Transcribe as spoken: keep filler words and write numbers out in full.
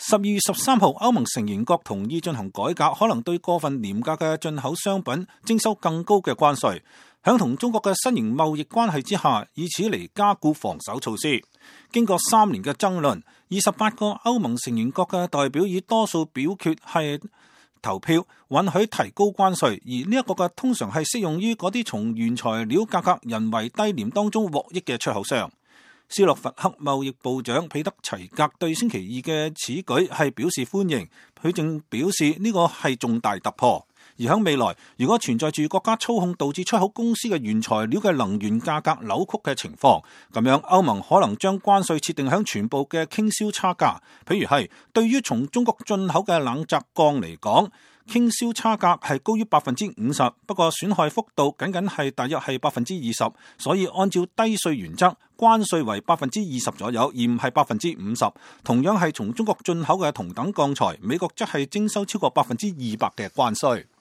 十二月十三號，歐盟成員國同意進行改革，可能對過分廉價嘅進口商品徵收更高嘅關稅。響同中國嘅新型貿易關係之下，以此嚟加固防守措施。經過三年嘅爭論，二十八個歐盟成員國嘅代表以多數表決係投票允許提高關稅，而呢一個嘅通常係適用於嗰啲從原材料價格人為低廉當中獲益嘅出口商。斯洛伐克貿易部長彼得齊格對星期二嘅此舉係表示歡迎，佢正表示呢個係重大突破。而喺未來，如果存在住國家操控導致出口公司嘅原材料嘅能源價格扭曲嘅情況，咁樣歐盟可能將關稅設定喺全部嘅傾銷差價。譬如係對於從中國進口嘅冷軋鋼嚟講，傾銷差價係高於百分之五十，不過損害幅度僅僅係大約係百分之二十，所以按照低稅原則，關稅為百分之二十左右，而唔係百分之五十。同樣係從中國進口嘅同等鋼材，美國則係徵收超過百分之二百嘅關稅。